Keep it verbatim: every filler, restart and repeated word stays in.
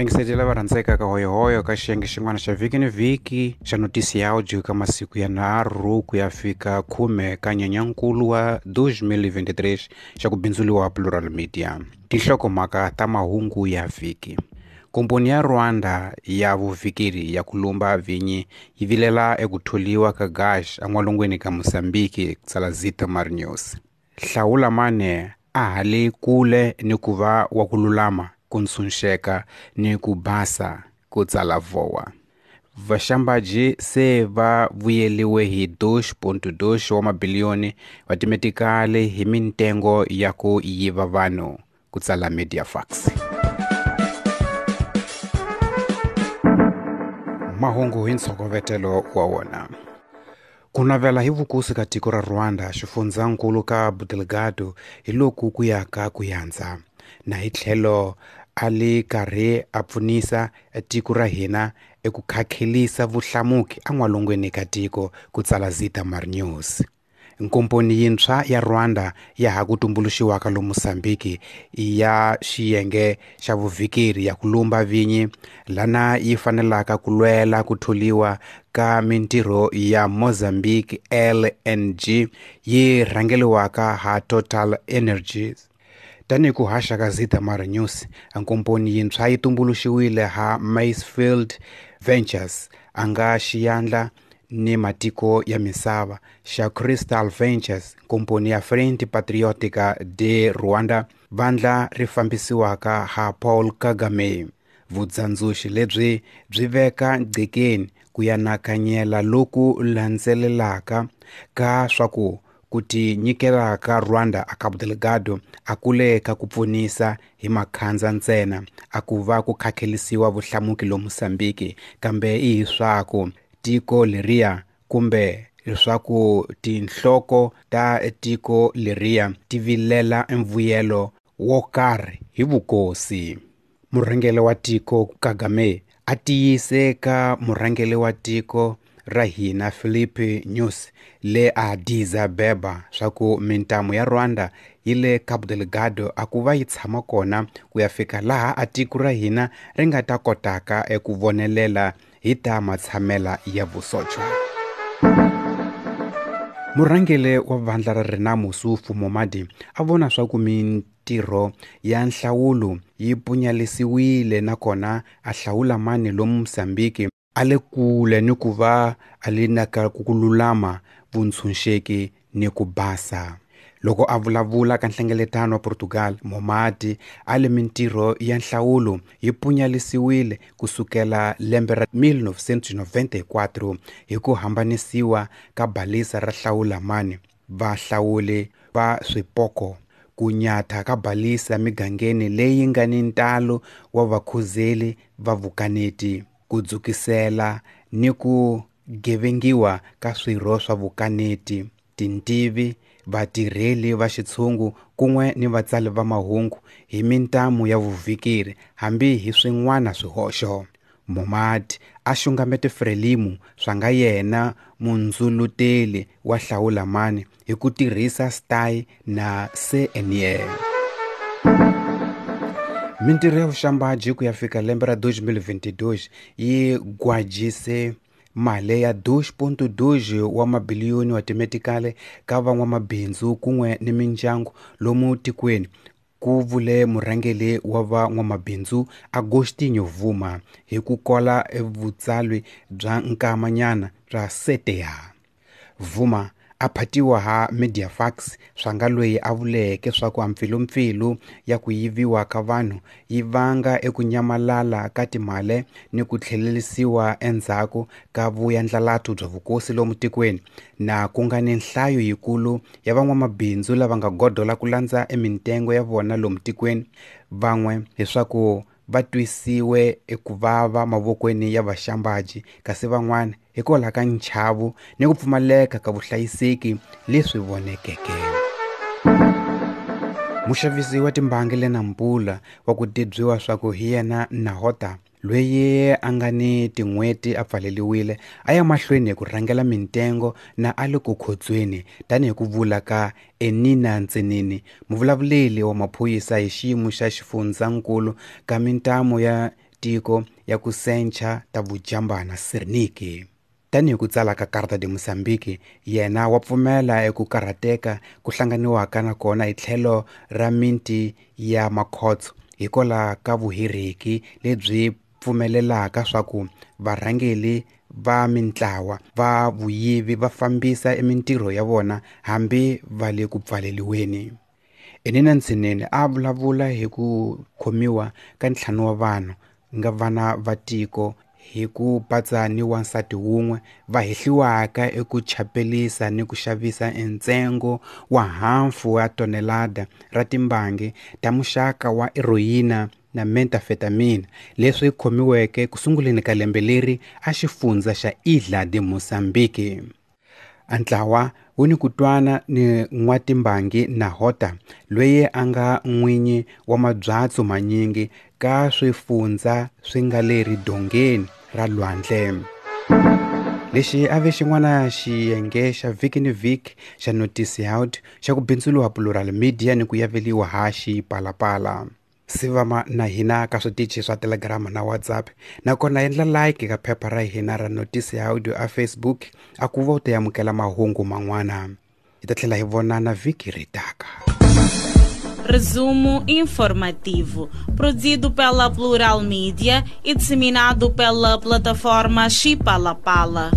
Vayingiseri lava rhandzekaka hoyohoyo ka xiyenge xin'wana xa vhiki ni vhiki xa notisi ya audio ka masiku ya nharhu ku ya fika khume ka nyenyankulu wa twenty twenty-three xa ku bindzuriwa Plural Media. Tinhlokomhaka ta mahungu ya vhiki. Komponi ya Rwanda ya vuvhikeri ya ku lumba vinyi yi vilela eku tholiwa ka Gash en'walungwini ka Mozambique, tsala Zitamar News. Hlawula mane a ha le kule ni ku va wa ku lulama, ku ntshunxeka ni ku basa, ku tsala Voa. Vaxambaji se va vuyeliwe hi two point two wa mabiliyoni wa timetikali hi mintengo ya ku yiva vanhu, ku tsala Mediafax. Mahungu hi ntshokovetelo wa wona. Ku navela hi vukosi ka tiko ra Rwanda xifundzankulu ka Cabo Delgado hi loku ku yaka ku yandza na hi tlhelo a le karhi a pfunisa tiko ra hina eku khakhelisa vuhlamuki en'walungwini ka tiko, ku tsala Zitamar News. Nkomponi yintshwa ya Rwanda ya ha ku tumbuluxiwaka lomu Mozambique ya xiyenge xa vuvhikeri ya ku lumba vinyi lana yi fanelaka ku lwela ku tholiwa ka mintirho ya Mozambique L N G yi rhangeliwaka ha Total Energies. Tanihi ku haxa ka Zitamar News, nkomponi yintshwa yi tumbuluxiwile ha Macefield Ventures a nga xiyandla ni matiko ya misava xa Crystal Ventures, komponi ya Frente Patriotica de Rwanda, vandla ri fambisiwaka ha Paul Kagame. Vudzandzuxi lebyi byi veka gqekeni ku ya nakanyela loku landzelelaka ka swa ku ku tinyikela ka Rwanda a Cabo Delgado a kule ka ku pfunisa hi makhandza ntsena a ku va ku khakhelisiwa vuhlamuki lo Mozambique, kambe i hi swaku tiko leriya kumbe leswaku tinhloko ta tiko leriya ti vilela mvuyelo wo karhi hi vukosi. Murhangeri wa tiko Kagame a tiyise ka murhangeri wa tiko ra hina Filipe Nyusi le Addis Ababa swa ku mintamu ya Rwanda yi le Cabo Delgado a ku va yi tshama kona ku ya fika laha a tiko ra hina ri nga ta kotaka eku vonelela hi ta matshamela ya vusocho. Murhangeri wa vandla ra Renamo Sufu Momadi a vona swa ku mintirho ya nhlawulo yi punyalisiwile nakona a hlawula mani lomu Mozambique a le kule ni ku va a le na ka ku lulama, vuntshunxeki ni ku basa. Loko a vulavula ka nhlengeletano wa Portugal, Momadi a le mintirho ya nhlawulo yi punyalisiwile kusukela lembe ra nineteen ninety-four hi ku hambanisiwa ka balisa ra hlawula mani vahlawuli va swipoko, ku nyatha ka balisa migangeni leyi nga ni ntalo wa vakhuzeli va vukaneti, ku dzukisela ni ku gevengiwa ka swirho swa vukaneti, tintivi, vatirheli va xitshungu kun'we ni vatsali va mahungu hi mintamu ya vuvhikeri hambi hi swin'wana swihoxo. Momadi a xungamete Frelimo swa nga yena mundzuluteli wa hlawula mani hi ku tirhisa S T A I na C N E. Mintirho ya vuxambaji ku ya fika lembe ra twenty twenty-two yi gwajise mali ya two point two wa mabiliyoni wa timetikali ka van'wamabindzu kun'we ni mindyangu lomu tikweni, ku vule murhangeri wa van'wamabindzu Agostinho Vuma hi ku kola vutsalwi bya nkamanyana bya C T A. Vuma a phatiwa ha Mediafax swa nga loyi a vuleke swa ku mpfilumpfilu ya ku yiviwa ka vanhu yi vanga eku nyamalala ka timali ni ku tlhelerisiwa endzhaku ka vuyandlalatu bya vukosi lomu tikweni, na ku nga ni nhlayo yikulu ya van'wamabindzu lava nga godola ku landza emintengo ya vona lomu tikweni, van'we leswaku va twisiwe eku vava mavokweni ya vaxambaji, kasi van'wana hikwalaho ka nchavo ni ku pfumaleka ka vuhlayiseki leswi vonekeke. Muxavisi wa timbangi le Nampula wa ku tibyiwa swa ku hi yena Nahota, loyi a nga ni tin'hweti a pfaleriwile, a ya mahlweni hi ku rhangela mintengo na a le ku khotsweni, tanihi ku vula ka Enina Ntsenini, muvulavuleri wa maphorisa hi xiyimo xa xifundzankulu ka mintamu ya tiko ya ku sencha ta vujambana Sirniki. Tanihi ku tsala ka Carta de Moçambique, yena wa pfumela eku karhateka ku hlanganiwaka na kona hi tlhelo ra miti ya makhotso hikwalaho ka vuhiriki lebyi pfumelelaka swa ku varhangeli va mintlawa va vuyivi va fambisa emintirho ya vona hambi va le ku pfaleliweni. Enina Ntsinini a vulavula hi ku khomiwa ka ntlhanu wa vanhu nga vana va tiko hi ku patsa ni wansati wun'we va hehliwaka eku chapelisa ni ku xavisa entsengo wa hafu wa tonelada ra timbangi ta muxaka wa heroyina na methamphetamine leswi khomiweke ku sunguleni ka lembe leri a xifundza xa Ilha de Moçambique. Antlawa wu ni ku twana ni n'watimbangi na Hota loyi a nga n'winyi wa mabyatso manyingi ka swifundza swi nga le ridongeni ra lwandle. Lexi a ve xin'wana xiyenge xa vhiki ni vhiki xa Noticiado xa ku bindzuriwa Plural Media ni ku yaveliwa ha Xipalapala. Sivama na hina ka switichi swa Telegram na WhatsApp, nakona endla like ka phepha ra hina ra Noticiado a Facebook a ku va u ta amukela mahungu man'wana. Hi ta tlhela hi vonana vhiki ri taka. Resumo informativo, produzido pela Plural Media e disseminado pela plataforma Xipalapala.